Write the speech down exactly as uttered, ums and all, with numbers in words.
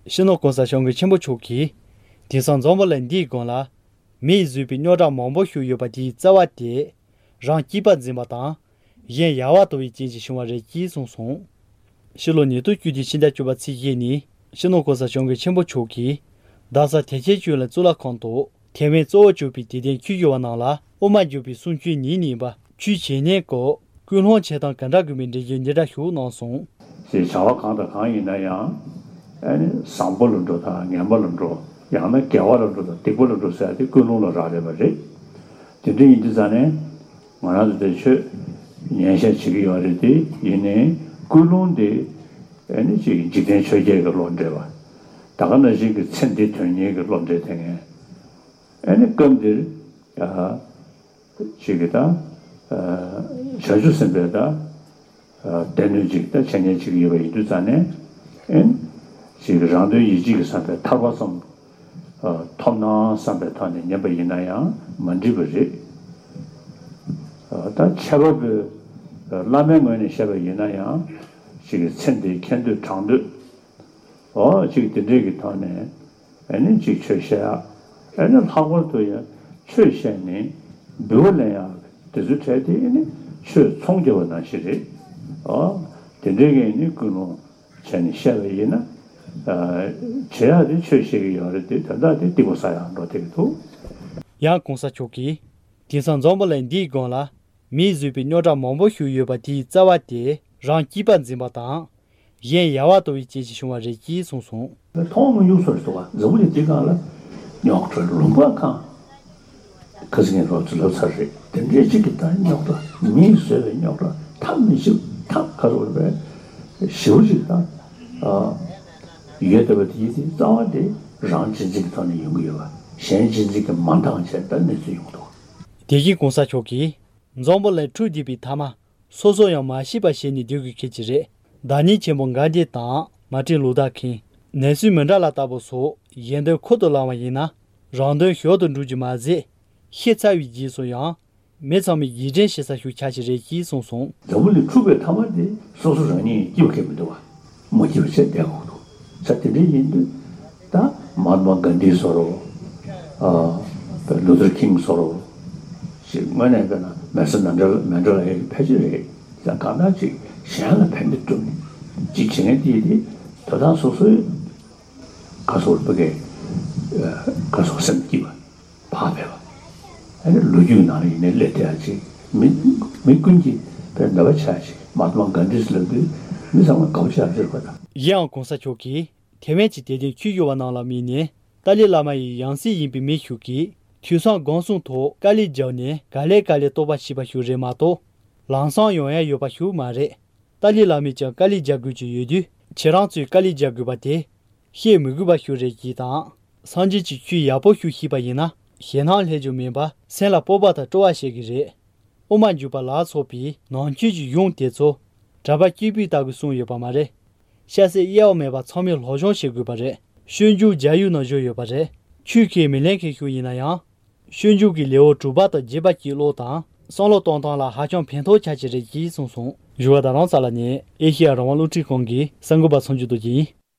སྤྱི་ནོར་གོང་ས་སྐྱབས་མགོན་ཆེན་པོ་མཆོག་གིས། དེང་སང་འཛམ་བུ་གླིང་འདིའི་སྒང་ལ། མིས་བཟོས་པའི་རྙོག་དྲ་མང་པོ་ཞིག་ཡོད་པ་དེའི་རྩ་བ་དེ། རང་སྐྱིད་པ་འཛིན་པ་དང་། གཞན་ཡལ་བར་དོར་བའི་རྐྱེན་གྱིས་བྱུང་བ་རེད་ཅེས་གསུངས་སོང་། ཕྱི་ལོ་ཉིས་སྟོང་བཅུ་བདུན་ཕྱི་ཟླ་བཅུ་པ་ཚེས་བརྒྱད་ཉིན། སྤྱི་ནོར་གོང་ས་སྐྱབས་མགོན་ཆེན་པོ་མཆོག་གིས། རྡ་ས་ཐེག་ཆེན་ཆོས་གླིང་གཙུག་ལག་ཁང་དུ། ཐེ་ཝན་གཙོ་བོ་གྱུར་པའི་དད་ལྡན་ཆོས་ཞུ་བ་རྣམས་ལ། དབུ་མ་འཇུག་པའི་གསུང་ཆོས་ཉིན་གཉིས་པ། ཆོས་བྱེད་གནས་སྐོར། ཀུན་སློང་བྱེད་སྟངས་ག་འདྲ་དགོས་མིན་འགྲེལ་བརྗོད་འདི་འདྲ་ཞིག་གནང་སོང་། ཞེས་བྱ་བ་གང་དང་གང་ཡིན་ན་ཡང་། ཨ་ནི་བཟང་པོ་ལ་འགྲོ་དང་ངན་པ་ལ་འགྲོ། ཡང་ན་དགེ་བ་ལ་འགྲོ་དང་སྡིག་པ་ལ་འགྲོ་ཟེར་ཡ་དེ་ཀུན་སློང་ལ་རག་ལས་པ་རེད། དེ་འདྲ་ཡིན་དུས་ཙང་ནས། ང་རང་ཚོ་དེ་ཆོས་ཉན་བཤད་བྱེད་ཀྱི་ཡོད་རེད་དེ། ཡིན་ནའི་ཀུན་སློང་དེ་ཨ་ནི་ཅིག་འཇིག་རྟེན་ཆོས་བརྒྱད་ཀྱི་བློ་འདྲེས་པ། ད་ག་ནང་བཞིན་གྱི་ཚེ་འདི་དོན་གཉེར་གྱི་བློ་འདྲེས་དེ་ངས། ཨ་ནི་སྐབས་འདིར་ཨ་ཅིག་གི་ད་ཨ་བྱང་ཆུབ་སེམས་དཔའི་ད་ཨ་སྡེ་སྣོད་ཅིག་ད་འཆད་ཉན་བྱེད་ཀྱི་ཡོད་པ་ཡིན་དུས་ཙང་ནས། ཨ་ནི་ཅིག་རང་དོན་ཡིད་བྱེད་ཀྱི་བསམ་པའི་ཐར་པ་ཙམ་ཨ་ཐོབ་ན་བསམ་པའི་ཐོག་ནས་ཉན་པ་ཡིན་ན་ཡང་མ་འགྲིག་པ་རེད། ཨ་ད་འཆད་པ་པོས་བླ་མའི་ངོས་ནས་བཤད་པ་ཡིན་ན་ཡང་། ཅིག་གི་ཚེ་འདིའི་ཁེ་འདོད་གྲགས་འདོད། འོ་ཅིག་དེ་འདྲས་ཀྱི་ཐོག་ནས་ཨ་ནི་ཅིག་ཆོས་བཤད་ཡ། ཨ་ནི་ལྷག་པར་དུ་ཡང་ཆོས་བཤད་ནས་འབུལ་བ་ལེན་ཡ་དེ་ཚོའི་གྲས་དེ་ཨ་ནི་ཆོས་ཚོང་རྒྱག་པ་ནང་བཞིན་རེད། འོ་དེ་འདྲས་ཀྱི་ཨ་ནི་ཀུན་སློང་བྱས་ནས་བཤད་པ་ཡིན་ན། ཨ་བྱེད་ཡ་དེ་ཆོས་བཤད་ཀྱི་ཡོད་རེད་དེ། དོན་དག་དེ་སྡིག་པ་བསགས་ཡ་འགྲོ་བསྡད་ཀྱི་འདུག། ཡང་གོང་ས་མཆོག་གིས། དེང་སང་འཛམ་བུ་གླིང་འདིའི་སྒང་ལ། མིས་བཟོས་པའི་རྙོག་དྲ་མང་པོ་ཞིག་ཡོད་པ་དེའི་རྩ་བ་དེ་རང་སྐྱིད་པ་འཛིན་པ་དང་། གཞན་ཡལ་བར་དོར་བའི་རྐྱེན་གྱིས་བྱུང་བ་རེད་ཅེས་གསུངས་སོང་། མཐོང་མི་མྱོང་བཟོ་འདྲ་འདུག་ག། འཛམ་བུ་གླིང་འདིའི་སྒང་ལ་རྙོག་དྲ་ལུང་པ་གང་། ཁ་སང་ངས་རོབ་ཙམ་ལབ་ཚར་རེད། དེ་འདྲའི་གཅིག་གི་ད་རྙོག་དྲ། མིས་བཟོས་པའི་རྙོག་དྲ་ཐབས་མི་ཞིག་ཐབས་ག་རེ་ཟེར་དགོས་རེད། ཞེ་པོ་ཅིག་ད་ཨ་ཡོད་བསྡད་པ་དེ་ཡིན་དུས་རྩ་བ་དེ་རང་གཅེས་འཛིན་གྱི་ཐོག་ནས་ཡོང་གི་ཡོད་པ། གཞན་གཅེས་འཛིན་གྱིས་མ་འདང་བྱས་ད་གནས་ཚུལ་ཡོང་གི་འདུག། དེ་བཞིན་གོང་ས་མཆོག་གིས། འཛམ་བུ་གླིང་འཁྲུག་བསྡད་པའི་མཐའ་མ། སོ་སོ་ཡང་མ་ཤེས་པ་བྱས་ནས་སྡོད་དགོས་ཁེལ་གྱི་རེད། བདག་ཉིད་ཆེན་པོ་གྷན་དྷི་དང་མར་ཏིན་ལུ་ཐར་ཁིང་། ནེལ་སོན་མན་ཌེ་ལ་ལྟ་བུ་སོགས་གཞན་དོན་ཁུར་དུ་བླངས་པ་ཡིན་ན། རང་དོན་ཞོར་དུ་འགྲུབ་རྒྱུ་མ་ཟད། ཤི་ཚར་བའི་རྗེས་སུ་ཡང་། མི་ཚང་མས་རྗེས་དྲན་བྱེད་ས་ཞིག་ཆགས་ཀྱི་རེད་ཅེས་གསུངས་སོང་། འཛམ་བུ་གླིང་འཁྲུག་པའི་མཐའ་མ་དེ་སོ་སོ་རང་ཉིད་སྐྱིད་པ་ཁེལ་མི་འདུག་བ། མ་སྐྱིད་པ་བྱས་བསྡད་དགོས་འདུག། ས་དེ་འདྲ་ཡིན་དུས་ད་མ་ཧཱ་ཏ་མ་གྷན་དྷི་བཟོ་འདྲ། ཨ་ལུ་ཐར་ཁིང་བཟོ་འདྲ་ཞིག་དངོས་གནས་བྱས་ན་ནེལ་སོན་མན་ཌེ་ལ་མན་ཌེ་ལ་ཡི་ཕལ་ཆེར་རེད། ཡང་གང་ལྟར་ཅིག་གཞན་ལ་ཕན་བདེ་བསྐྲུན་ནས་ཅིག་བྱེད་མཁན་དེ་དེ་དོ་བདག་སོ་སོའི་ག་སོགས་ཕ་གི་ག་སོགས་སེམས་སྐྱིད་པ་བག་ཕེབས་པ། ཨ་ནི་ལོ་རྒྱུས་ནང་ལ་ཡིན་ནའི་སླེབས་བསྡད་ཡ་ཅིག། མི་མི་ཀུན་གྱིས་དཔེ་འདོད་པ་ཆགས་ཤིག། མ་ཧཱ་ཏ་མ་གྷན་དྷི་ལབ་དུས་མི་ཚང་མ་དགའ་པོ་ཆགས་ཟེར་བ་དང་། གཞན་ཡང་གོང་ས་མཆོག་གིས་ཐེ་ཝན་གྱི་དད་ལྡན་ཆོས་ཞུ་བ་རྣམས་ལ་དམིགས་ནས། ཏཱ་ལའི་བླ་མ་ཡི་ཡང་སྲིད་ཡིན་པའི་མི་ཞིག་གིས་དུས་སང་སྒོམ་གསུམ་ཐོག་དཀའ་ལས་བརྒྱབ་ནས་ག་ལེ་ག་ལེ་རྟོགས་པ་ཞིག་པ་ཞིག་རེད་མ་གཏོགས། ལམ་སང་ཡོང་ཡ་ཡོད་པ་ཞིག་མ་རེད། ཏཱ་ལའི་བླ་མས་ཀྱང་དཀའ་ལས་རྒྱག་དགོས་ཀྱི་ཡོད་དུས། ཁྱེད་རང་ཚོས་དཀའ་ལས་རྒྱག་དགོས་པ་དེ་བཤད་མི་དགོས་པ་ཞིག་རེད་ཅེས་དང་། སངས་རྒྱས་ཀྱི་ཆོས་ཡག་པོ་ཞིག་ཤེས་པ་ཡིན་ན། ཞེད་སྣང་སླེབས་རྒྱུ་མིན་པར་སེམས་ལ་སྤོབས་པ་དང་སྤྲོ་བ་བྱེད་ཀྱི་རེད། དབུ་མ་འཇུག་པ་ལ་སོགས་པའི་ནང་ཆོས་ཀྱི་གཞུང་དེ་ཚོ་གྲྭ་པ་སྐྱེས་བུ་ལྟ་བུས་གསུངས་ཡོད་པ་མ་རེད། སྐྱ་སེར་དབྱེ་བ་མེད་པར་ཚང་མས་སློབ་སྦྱོང་བྱེད་དགོས་པ་རེད། སྤྱོད་འཇུག་རྒྱ་ཡིག་ནང་བཞུགས་ཡོད་པ་རེད། ཆོས་ཁས་མི་ལེན་མཁན་ཞིག་ཡིན་ན་ཡང་། སྤྱོད་འཇུག་གི་ལེའུ་དྲུག་པ་དང་བརྒྱད་པ་གཅིག་ཀློག་དང་བསམ་བློ་གཏོང་སྟངས་ལ་ཧ་ཅང་ཕན་ཐོགས་ཆགས་ཀྱི་རེད་ཅེས་གསུངས་སོང་། བཞུགས་སྒར་རྡ་རམ་ས་ལ་ནས་ཨེ་ཤེ་ཡ་རང་དབང་རླུང་འཕྲིན་ཁང་གི་གསར་འགོད་པ་མཚམས་སྦྱོར་དུ་གྱིས་ཡིན།